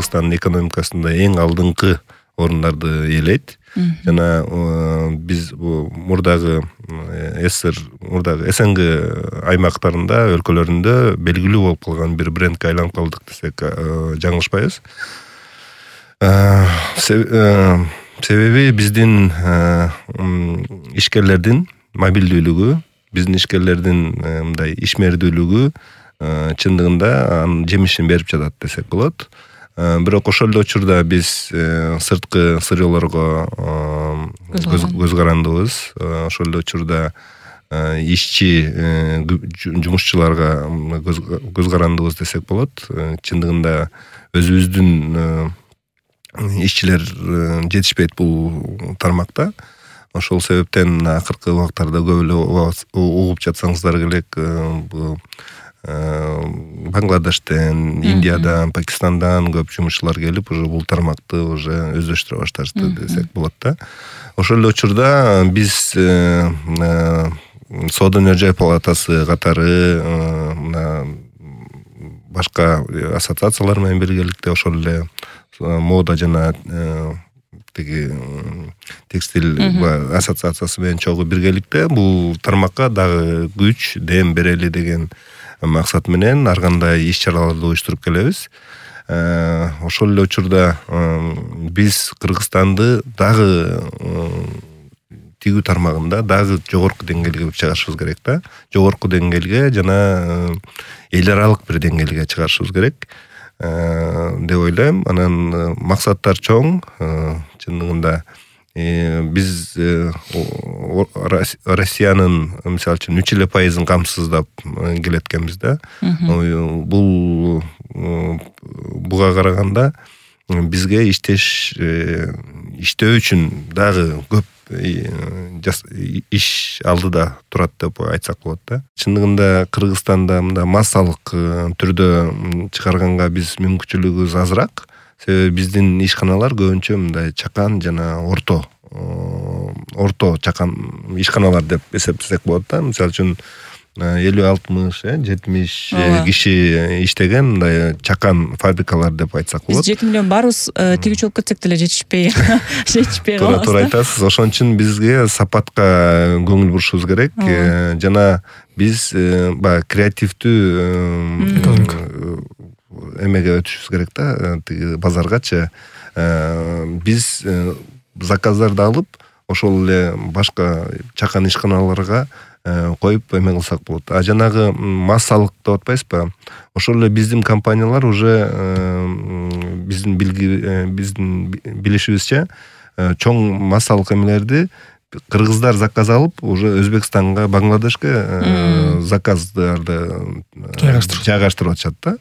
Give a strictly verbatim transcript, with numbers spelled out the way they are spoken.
Кыргызстандын экономикасында эң алдыңкы орундарды ээлейт. Жана биз мурдагы СССР мурдагы СНГ аймактарында, өлкөлөрүндө белгилүү болуп калган бир брендке айланып калдык десек жаңылышпайбыз. Себеби биздин ишкерлердин мобилдүүлүгү, биздин ишкерлердин мындай ишмердүүлүгү чындыгында анын жемишин берип жатат десек болот. Бирок ошол эле учурда биз сырткы сырьёлорго көз карандыбыз. Ошол эле учурда ишчи жумушчуларга көз карандыбыз десек болот. Чындыгында өзүбүздүн ишчилер жетишпейт бул тармакта. Ошол себептен акыркы убактарда көп эле угуп жатсаңыздар керек, Бангладештен, Индиядан, Пакистандан көп жумушчулар келип, уже бул тармакты уже өздөштүрө башташты десек болот да. Ошол эле учурда биз Соода өнөр-жай палатасы катары башка ассоциациялар менен биргеликте ошол эле мода жана тиги текстиль ассоциациясы менен чогуу биргеликте бул тармакка дагы күч, дем берели деген максат менен ар кандай иш-чараларды уюштуруп келебиз. Ошол эле учурда биз Кыргызстанды дагы тигүү тармагында дагы жогорку деңгээлге чыгарышыбыз керек да. Жогорку деңгээлге жана эл аралык бир деңгээлге чыгарышыбыз керек деп ойлойм. Анан максаттар чоң. Чындыгында биз Россиянын мисалы үчүн үч эле пайызын камсыздап келеткенбиз да. Бул буга караганда бизге иштеш иштөө үчүн дагы көп иш алдыда турат деп айтсак болот да. Чындыгында Кыргызстанда мында массалык түрдө чыгарганга биз мүмкүнчүлүгүбүз азыраак. Себеби биздин ишканалар көбүнчө мындай чакан жана орто орто чакан ишканалар деп эсептесек болот да. Мисалы үчүн элүү алтымыш жетимиш киши иштеген мындай чакан фабрикалар деп айтсак болот. Биз жети миллион барбыз, тигүүчү болуп кетсек деле жетишпей жетишпей калабыз. Туура айтасыз. Ошон үчүн бизге сапатка көңүл бурушубуз керек. Жана биз баягы креативдүү эмеге өтүшүбүз керек да, тиги базаргачы. Биз заказдарды алып, ошол эле башка чакан ишканаларга коюп эме кылсак болот. А жанагы массалык деп атпайсызбы? Ошол эле биздин компаниялар уже биздин билги биздин билишибизче чоң массалык эмелерди кыргыздар заказ алып, уже Өзбекстанга, Бангладешке заказдарды жайгаштырып атышат да.